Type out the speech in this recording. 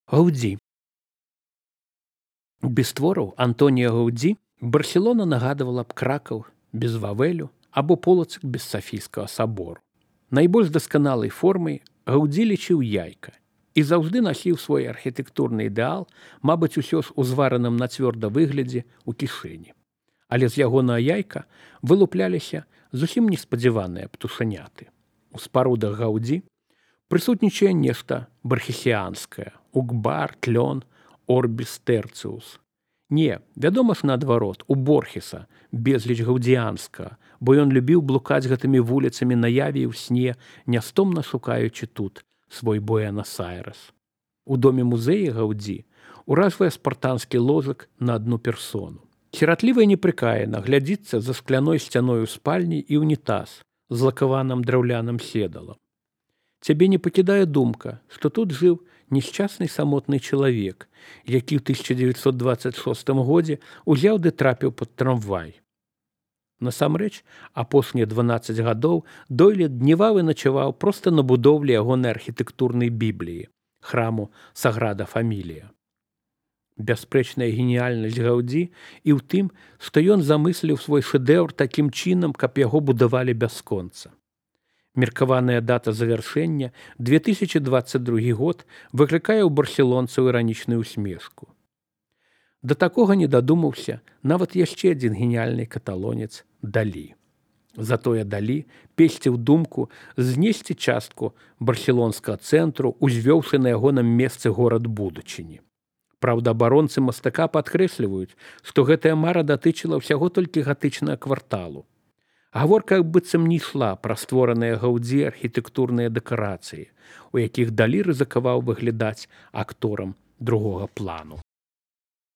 Гаудзі. Без твораў Антонія Гаудзі Барселона нагадывала б Кракаў без Вавелю або Полацк без Сафійскага сабору. Найбольш дасканалай формай Гаудзі лічыў яйка і заўжды насіў свой архітэктурны ідэал, мабыць, усё ж у звараным на цвёрда выглядзе ў кішэні. Але з ягонага яйка вылупляліся зусім неспадзяваныя птушаняты. У спарудах Гаудзі прысутнічае нешта бархесіанскае, укбар, тлён, орбіс тэрціус. Не, вядома ж наадварот, у Борхеса безліч гаўдзіянскага, бо ён любіў блукаць гэтымі вуліцамі наяве і ў сне, нястомна шукаючы тут свой Буэнас-Айрэс. У доме музея Гаудзі уражвае спартанскі ложак на адну персону. Сіратліва і непрыкаяна глядзіцца за скляной сцяной у спальні і ўнітаз з лакаваным драўляным седалам. Цябе не пакідае думка, што тут жыў несчасны самотны чалавек, які ў 1926 годзе узяў ды трапіў пад трамвай. Насамрэч, апошнія 12 гадоў Дойле дневаў і начаваў проста на будоўлі ягонай архітэктурнай бібліі, храму Саграда Фамілія. Бясспрэчная геніяльнасць Гаудзі і ў тым, што ён замысліў свой шэдэўр такім чынам, каб яго будавалі бясконца. Меркаваная дата завяршэння 2022 год выклікае ў барселонцаў іранічную усмешку. Да такога не дадумаўся нават яшчэ адзін геніяльны каталонец Далі. Затое Далі песціў думку знесці частку барселонскага цэнтру, узвёўшы на ягоным месцы горад будучыні. Праўда, абаронцы мастака падкрэсліваюць, што гэтая мара датычыла ўсяго толькі гатычнага кварталу. Гаворка быццам не ішла пра створаныя Гаудзі архітэктурныя дэкарацыі, у якіх Далі рызыкаваў выглядаць акторам другога плану.